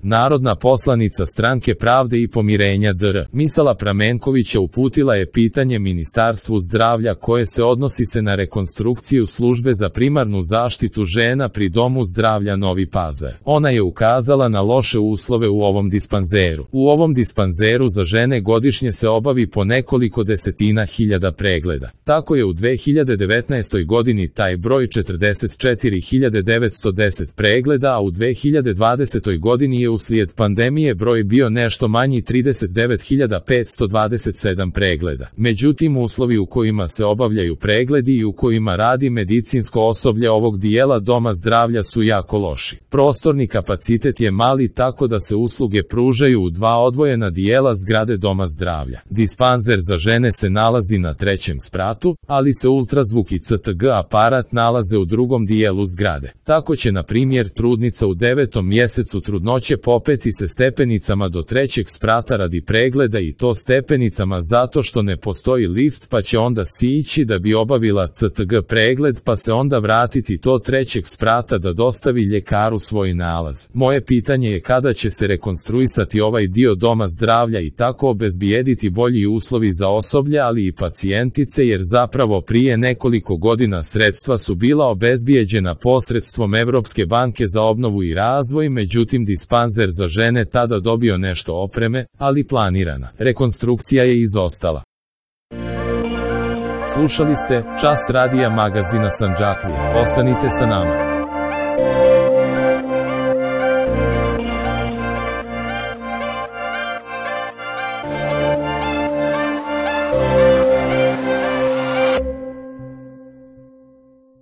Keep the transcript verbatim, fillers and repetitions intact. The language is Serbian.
Narodna poslanica Stranke pravde i pomirenja D R Misala Pramenkovića uputila je pitanje Ministarstvu zdravlja koje se odnosi se na rekonstrukciju službe za primarnu zaštitu žena pri Domu zdravlja Novi Pazar. Ona je ukazala na loše uslove u ovom dispanzeru. U ovom dispanzeru za žene godišnje se obavi po nekoliko desetina hiljada pregleda. Tako je u dve hiljade devetnaestoj godini taj broj četrdeset četiri hiljade devetsto deset pregleda, a u dve hiljade dvadesetoj godini je uslijed pandemije broj bio nešto manji trideset devet hiljada petsto dvadeset sedam pregleda. Međutim, uslovi u kojima se obavljaju pregledi i u kojima radi medicinsko osoblje ovog dijela Doma zdravlja su jako loši. Prostorni kapacitet je mali, tako da se usluge pružaju u dva odvojena dijela zgrade Doma zdravlja. Dispanzer za žene se nalazi na trećem spratu, ali se ultrazvuk i C T G aparat nalaze u drugom dijelu zgrade. Tako će, na primjer, trudnica u devetom mjesecu trudnoće popeti se stepenicama do trećeg sprata radi pregleda, i to stepenicama zato što ne postoji lift, pa će onda sići da bi obavila C T G pregled, pa se onda vratiti do trećeg sprata da dostavi ljekaru svoj nalaz. Moje pitanje je kada će se rekonstruisati ovaj dio Doma zdravlja i tako obezbijediti bolji uslovi za osoblje, ali i pacijentice, jer zapravo prije nekoliko godina sredstva su bila obezbijeđena posredstvom Evropske banke za obnovu i razvoj, međutim dispanzer za žene tada dobio nešto opreme, ali planirana rekonstrukcija je izostala. Slušali ste Čas radija magazina Sandžaklija. Ostanite sa nama.